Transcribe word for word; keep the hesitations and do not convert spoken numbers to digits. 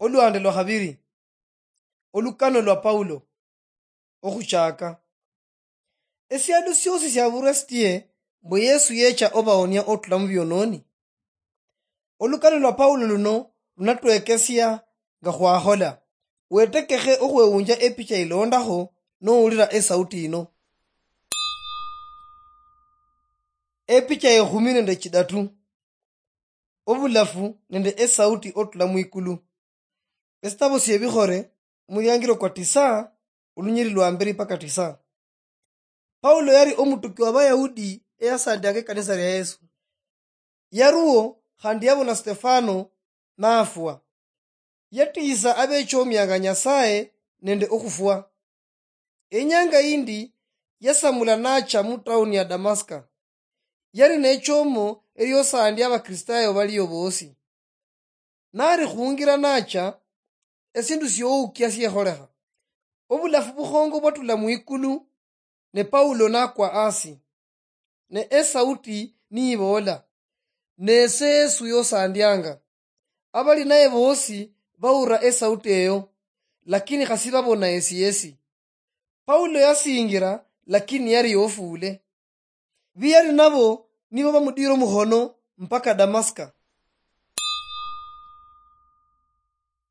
Oluhande lwa khabiri. Olukano lwa Paulo. Okhuchaka. Esialo siosi siabura sitie mbu Yesu yecha obaonia otula mubiononi? Olukano lwa Paulo luno lunatwekesia nga khwakhola. Wetekekhe okhwewunja epicha ilondakho nowulira esauti yino. Epicha yekhumi nende chidatu. Obulafu nende esauti otula mwikulu. Esitabo siebikhore, omuliangiro kwa tisa, olunyiri lwa mberi paka tisa. Paulo yari omutuki wa Bayahudi eyasandianga ekanisa lia Yesu. Yaruo khandi yabona Stefano nafwa. Yatiisa abechomianga Nyasaye nende okhufwa. Enyanga yindi yasamula nacha mutauni ya Damaska. Yali nechomo eliosandia Abakristayo balio bosi. Nali khungira nacha, esindu sioukia siekholekha. Obulafu bukhongo bwatula mwikulu, ne Paulo nakwa asi. Ne esauti niibola, "Nese Yesu yosandianga." Abali naye bosi baura esauti eyo, lakini khasi babona esi yesi. Paulo yasingira, lakini yari yofule. Biyali nabo nibo bamudira omukhono mpaka Damaska.